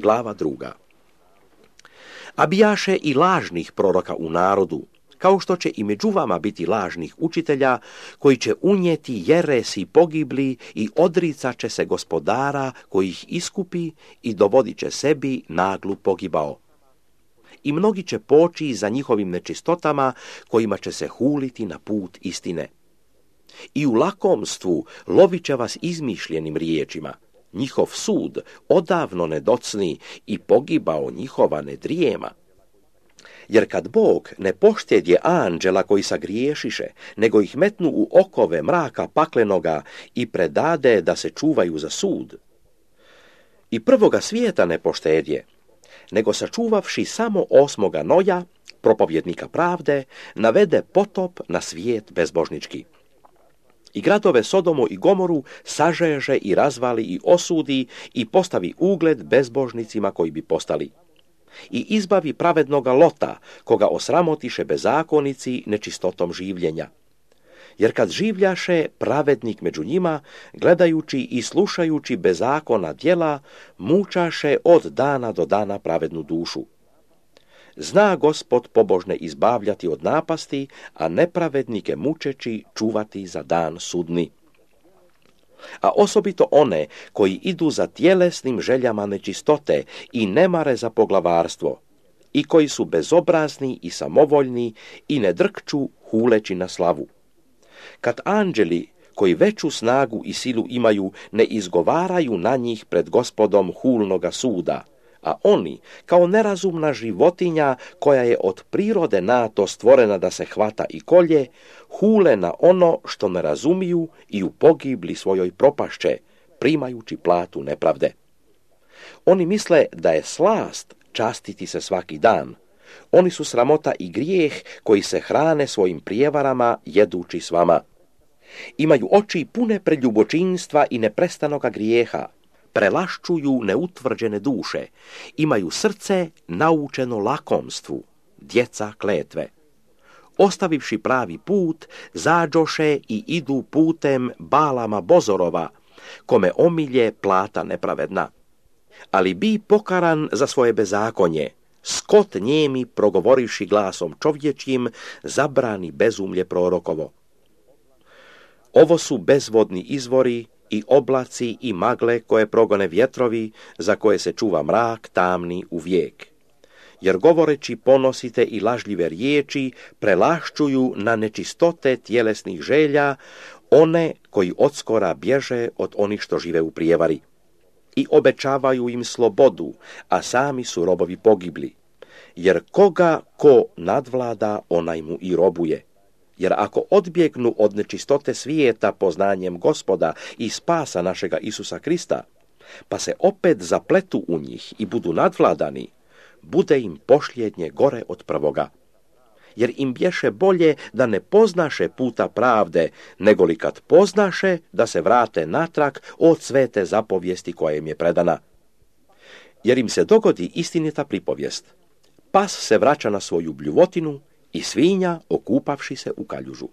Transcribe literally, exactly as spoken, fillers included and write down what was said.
Glava druga. A bijaše i lažnih proroka u narodu, kao što će i među vama biti lažnih učitelja, koji će unijeti jeresi pogibli i odricat će se gospodara koji ih iskupi i dovodit će sebi naglu pogibao. I mnogi će poći za njihovim nečistotama, kojima će se huliti na put istine. I u lakomstvu lovit će vas izmišljenim riječima. Njihov sud odavno ne docni i pogibao njihova ne drijema. Jer kad Bog ne poštedje anđela koji sagriješiše, nego ih metnu u okove mraka paklenoga i predade da se čuvaju za sud, i prvoga svijeta ne poštedje, nego sačuvavši samo osmoga Noja, propovjednika pravde, navede potop na svijet bezbožnički. I gradove Sodomu i Gomoru sažeže i razvali i osudi i postavi ugled bezbožnicima koji bi postali. I izbavi pravednoga Lota, koga osramotiše bezakonici nečistotom življenja. Jer kad življaše pravednik među njima, gledajući i slušajući bezakona djela, mučaše od dana do dana pravednu dušu. Zna Gospod pobožne izbavljati od napasti, a nepravednike mučeći čuvati za dan sudni. A osobito one koji idu za tjelesnim željama nečistote i ne mare za poglavarstvo, i koji su bezobrazni i samovoljni i ne drkču huleći na slavu. Kad anđeli koji veću snagu i silu imaju ne izgovaraju na njih pred Gospodom hulnoga suda, a oni, kao nerazumna životinja koja je od prirode nato stvorena da se hvata i kolje, hule na ono što ne razumiju i u pogibli svojoj propašće, primajući platu nepravde. Oni misle da je slast častiti se svaki dan. Oni su sramota i grijeh koji se hrane svojim prijevarama jedući s vama. Imaju oči pune preljubočinstva i neprestanoga grijeha. Prelaščuju neutvrđene duše, imaju srce naučeno lakomstvu, djeca kletve. Ostavivši pravi put, zađoše i idu putem Balama Bozorova, kome omilje plata nepravedna. Ali bi pokaran za svoje bezakonje, skot njemi progovorivši glasom čovječjim, zabrani bezumlje prorokovo. Ovo su bezvodni izvori i oblaci i magle koje progone vjetrovi, za koje se čuva mrak tamni u vijek. Jer govoreći ponosite i lažljive riječi, prelaščuju na nečistote tjelesnih želja one koji odskora bježe od onih što žive u prijevari. I obećavaju im slobodu, a sami su robovi pogibli. Jer koga ko nadvlada, onaj mu i robuje. Jer ako odbjegnu od nečistote svijeta poznanjem Gospoda i spasa našega Isusa Krista, pa se opet zapletu u njih i budu nadvladani, bude im pošljednje gore od prvoga. Jer im bješe bolje da ne poznaše puta pravde, negoli kad poznaše da se vrate natrag od svete zapovijesti koja im je predana. Jer im se dogodi istinita pripovijest. Pas se vraća na svoju bljuvotinu i svinja okupavši se u kaljužu.